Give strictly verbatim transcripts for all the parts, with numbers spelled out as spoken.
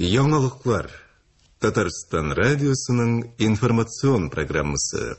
Яңалыклар. Татарстан радиосының информацион программасы.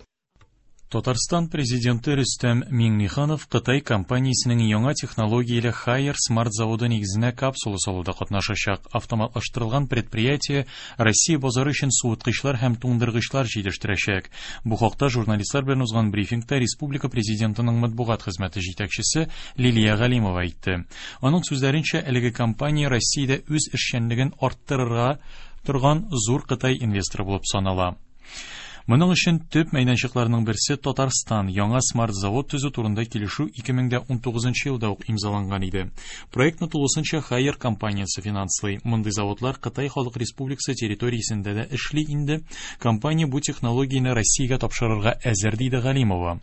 Татарстан президенты Рөстәм Миңнеханов Кытай компаниясенең яңа технологияле Haier Smart заводы нигезенә капсула салуда катнашачак. Автоматлаштырылган предприятие Россия базары өчен суыткычлар һәм туңдыргычлар җитештерәчәк. Бу хакта журналистлар белән узган брифингта республика президентының матбугат хезмәте җитәкчесе Лилия Галимова әйтте. Аның сүзләренчә, әлеге компания Россиядә үз эшчәнлеген арттырырга торган зур Кытай инвесторы булып санала. Моның өчен төп мәйданчыкларның берсе Татарстан яңа смарт-завод төзү турында килешү ике мең дә унтугызынчы елда ук имзаланган иде. Проектны тулысынча Haier компаниясе финанслый. Мондый заводлар Кытай Халык Республикасы территориясендә дә эшли инде. Компания бу технологияне Россиягә тапшырырга әзер, диде Галимова.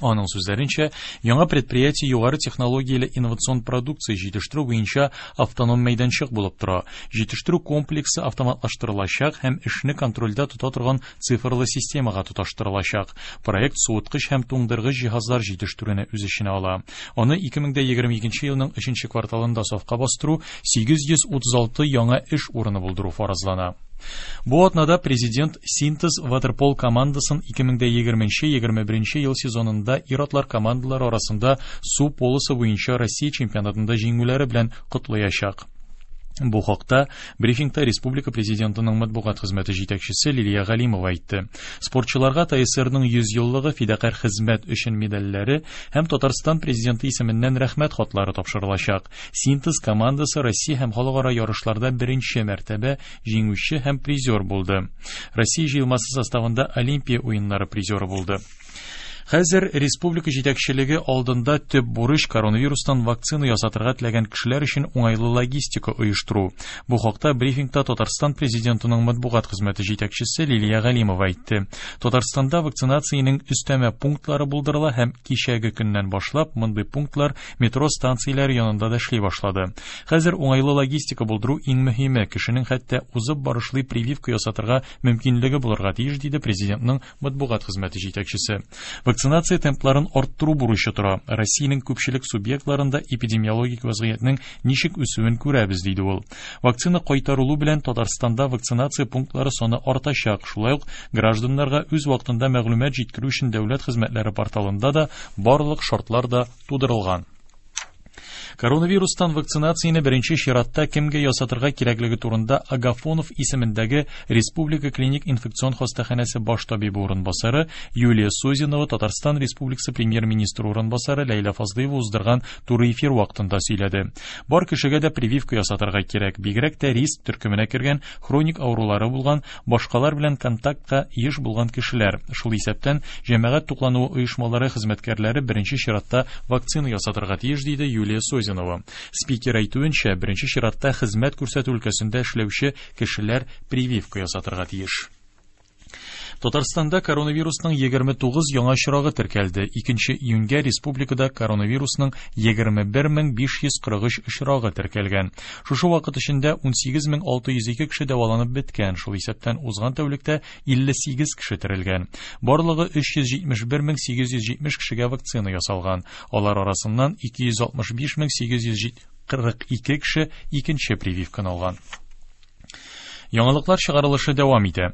Аның сүзләренчә, яңа предприятие югары технологияле инновацион продукция җитештерү буенча автоном мәйданчык булып тора. Җитештерү комплексы автоматлаштырылачак һәм эшне контрольдә тота торган цифрлы системага тоташтырылачак. Проект суыткыч һәм туңдыргыч җиһазлар җитештерүне үз эченә ала. Аны ике мең дә егерме икенче елның өченче кварталында сафка бастыру сигез йөз утыз алты яңа эш урыны булдыру фаразлана. Бу атнада президент Синтез ватерпол командасын ике мең дә егерменче егерме беренче ел сезонында ир-атлар командалары арасында су полосы буенча Россия чемпионатында җиңүләре белән котлаячак. Бу хакта брифингта республика президентының матбугат хезмәте җитәкчесе Лилия Галимова әйтте. Спортчыларга ТСРның йөз еллыгы фидакарь хезмәт өчен медальләре һәм Татарстан президенты исеменнән рәхмәт хатлары тапшырылачак. Синтез командасы Россия һәм халыкара ярышларда беренче мәртәбә җиңүче һәм призер булды. Россия җыелмасы составында Олимпия уеннары призеры булды. Хәзер республика җитәкчелеге алдында төп бурыч коронавирустан вакцина ясатырга теләгән кешеләр өчен уңайлы логистика оештыру. Бу хакта брифингта Татарстан президентының матбугат хезмәте җитәкчесе Лилия Галимова әйтте. Татарстанда вакцинациянең өстәмә пунктлары булдырыла һәм кичәге көннән башлап мондый пунктлар метро станцияләре янында да эшли башлады. Хәзер уңайлы логистика булдыру иң мөһиме, кешенең хәтта узып барышлый прививка ясатырга мөмкинлеге булырга тиеш, диде президентның матбугат хезмәте җитәкчесе. Вакцинация темпларын арттыру бурычы тора. Россиянең күпчелек субъектларында эпидемиологик вазгыятьнең ничек үсүен күрәбез, диде ул. Вакцина кайтарылу белән Татарстанда вакцинация пунктлары саны артачак. Шулай ук гражданнарга үз вакытында мәгълүмат җиткерү өчен дәүләт хезмәтләре порталында да барлык шартлар да тудырылган. Коронавирустан вакцинацияне беренче чиратта кемгә ясатырга кирәклеге турында Агафонов исемендәге Республика клиник инфекцион хастаханәсе баш табибы урынбасары Юлия Созинова Татарстан Республикасы премьер-министры урынбасары Ләйлә Фазлыева уздырган туры эфир вакытында сөйләде. Бар кешегә дә прививка ясатырга кирәк, бигрәк тә риск төркеменә кергән, хроник авырулары булган, башкалар белән контактка еш булган кешеләр, шул исәптән җәмәгать туклануы оешмалары хезмәткәрләре беренче чиратта вакцина ясатырга тиеш, диде Юлия Созинова. Спикер әйтүенчә, беренче чиратта хезмәт күрсәтү өлкәсендә эшләүче кешеләр прививка ясатырга тиеш. Татарстанда коронавирусның егерме тугыз яңа очрагы теркәлде. Икенче июньгә республикада коронавирусның егерме бер мең биш йөз кырык өч очрагы теркәлгән. Шушы вакыт эчендә ун сигез мең алты йөз ике кеше дәваланып беткән, шул исәптән узган тәүлектә илле сигез кеше терелгән. Барлыгы өч йөз җитмеш бер мең сигез йөз җитмеш кешегә вакцина ясалган. Алар арасыннан ике йөз алтмыш биш мең сигез йөз кырык ике кеше икенче прививканы алган. Яңалыклар чыгарылышы дәвам итә.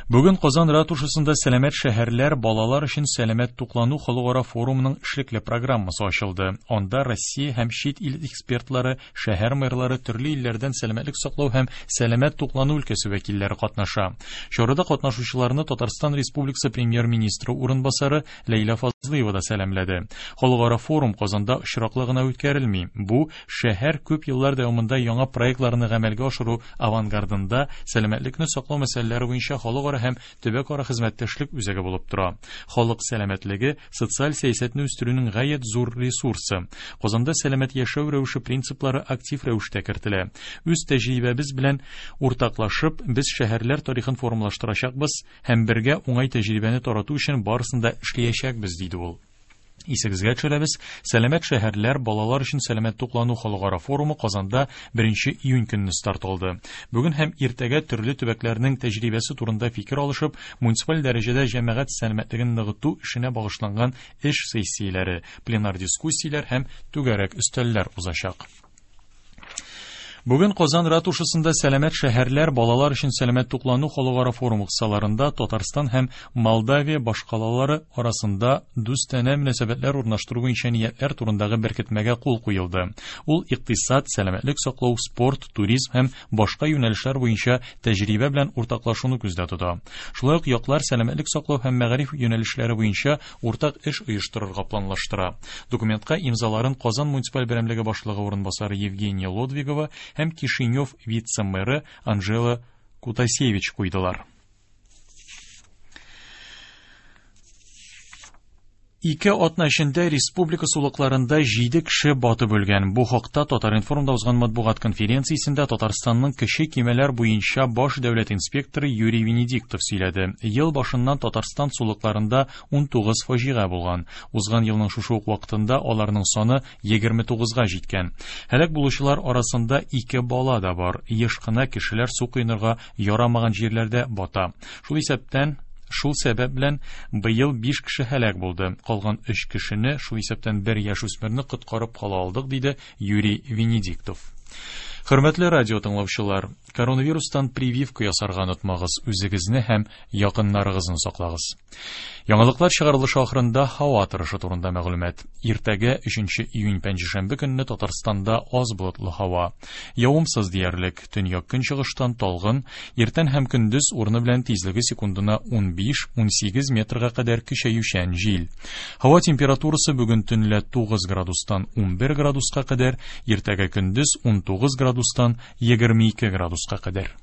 Бүген Казан ратушасында сәламәт шәһәрләр балалар өчен сәламәт туклану халыкара форумының эшлекле программасы ачылды. Анда Россия һәм чит ил экспертлары, шәһәр мэрлары, төрле илләрдән сәламәтлек саклау һәм сәламәт туклану өлкәсе вәкилләре катнаша. Чарада катнашучыларны Татарстан Республикасы премьер-министры урынбасары Ләйлә Фазлыева да сәламләде. Халыкара форум Казанда очраклы гына үткәрелми. Бу шәһәр күп еллар дәвамында яңа проектларны гамәлгә ашыру авангардында сәламәтлекне саклау мәсьәләләре буенча халыкара һәм төбәкара хезмәттәшлек үзәге булып тора. Халык сәламәтлеге социаль сәясәтне үстерүнең гаять зур ресурсы. Казанда сәламәт яшәү рәвеше принциплары актив рәвештә кертелә. Үз тәҗрибәбез белән уртаклашып, без шәһәрләр тарихын формалаштырачакбыз һәм бергә уңай тәҗрибәне тарату өчен барысын да эшләячәкбез, диде ул. Исегезгә төшерәбез, сәламәт шәһәрләр балалар өчен сәламәт туклану халыкара форумы Казанда беренче июнь көнне старт алды. Бүген һәм иртәгә төрле төбәкләрнең тәҗрибәсе турында фикер алышып, муниципаль дәрәҗәдә җәмәгать сәламәтлеген ныгыту эшенә багышланган эш сессияләре, пленар дискуссияләр һәм түгәрәк өстәлләр узачак. Бүген Казан ратушасында сәламәт шәһәрләр балалар өчен сәламәт туклану халыкара форумы кысаларында Татарстан һәм Молдавия башкалалары арасында дустанә мөнәсәбәтләр урнаштыру буенча ниятләр турындагы беркетмәгә кул куелды. Ул икътисад, сәламәтлек саклау, спорт, туризм һәм башка юнәлешләр буенча тәҗрибә белән уртаклашуны күздә тота. Шулай ук яклар сәламәтлек саклау һәм мәгариф юнәлешләре буенча уртак эш оештырырга планлаштыра. Документка имзаларын Казан муниципаль берәмлеге башлыгы урынбасары Евгения Лодвигова һәм Кишинев вице-мэры Анжела Кутасевич куйдылар. Ике атна эчендә республика сулыкларында җиде кеше батып үлгән. Бу хакта Татар-информда узган матбугат конференциясендә Татарстанның кече кимәләр буенча баш дәүләт инспекторы Юрий Венедиктов сөйләде. Ел башыннан Татарстан сулыкларында ун тугыз фаҗига булган. Узган елның шушы ук вакытында аларның саны егерме тугызга җиткән. Һәлак булучылар арасында ике бала да бар. Еш кына кешеләр су коенырга ярамаган җирләрдә бата. Шул исәптән Шул сәбәп белән быел биш кеше һәлак булды. Калган өч кешене, шул исәптән бер яшүсмерне коткарып кала алдык, диде Юрий Венедиктов. Хөрмәтле радио тыңлаучылар, коронавирустан прививка ясарга онытмагыз, үзегезне һәм якыннарыгызны саклагыз. Яңалыклар чыгарылышы ахырында һава торышы турында мәгълүмат. Иртәгә өченче июнь пәнҗешәмбе көнне Татарстанда аз болытлы һава. Явымсыз диярлек, төньяк көнчыгыштан талгын, иртән һәм көндез урыны белән тизлеге секундына ун биш-ун сигез метрга кадәр көчәючән җил. Һава температурасы бүген төнлә тугыз градустан ун бер градуска кадәр, иртәгә көндез ун тугыз градустан егерме ике градуска кадәр.